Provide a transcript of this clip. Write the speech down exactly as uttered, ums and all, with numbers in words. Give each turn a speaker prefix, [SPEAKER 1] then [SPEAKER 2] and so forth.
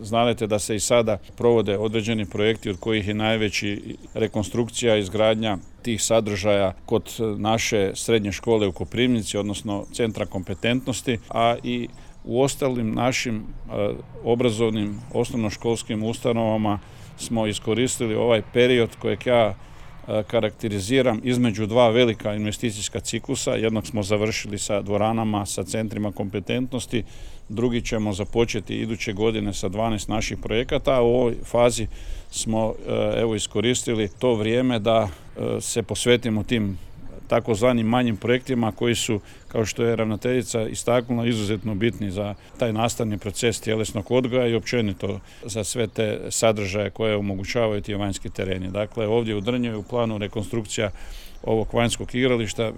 [SPEAKER 1] znate da se i sada provode određeni projekti od kojih je najveći rekonstrukcija, izgradnja tih sadržaja kod naše srednje škole u Koprivnici, odnosno centra kompetentnosti, a i u ostalim našim obrazovnim osnovnoškolskim ustanovama smo iskoristili ovaj period kojeg ja karakteriziram između dva velika investicijska ciklusa. Jednog smo završili sa dvoranama, sa centrima kompetentnosti, drugi ćemo započeti iduće godine sa dvanaest naših projekata, a u ovoj fazi smo evo iskoristili to vrijeme da se posvetimo tim takozvanim manjim projektima koji su, kao što je ravnateljica istaknula, izuzetno bitni za taj nastavni proces tjelesnog odgoja i općenito za sve te sadržaje koje omogućavaju ti vanjski tereni. Dakle, ovdje u Drnju je u planu rekonstrukcija ovog vanjskog igrališta.